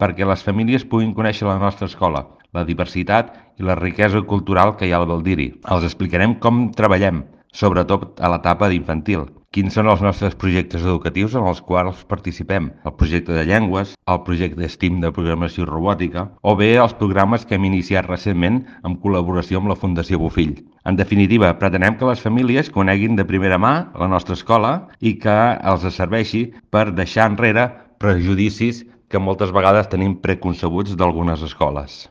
perquè les famílies puguin conèixer la nostra escola, la diversitat i la riquesa cultural que hi ha al Baldiri. Els explicarem com treballem, sobretot a l'etapa d'infantil. Quins són els nostres projectes educatius en els quals participem? El projecte de llengües, el projecte STEAM de programació robòtica o bé els programes que hem iniciat recentment en col·laboració amb la Fundació Bofill. En definitiva, pretenem que les famílies coneguin de primera mà la nostra escola i que els serveixi per deixar enrere prejudicis que moltes vegades tenim preconcebuts d'algunes escoles.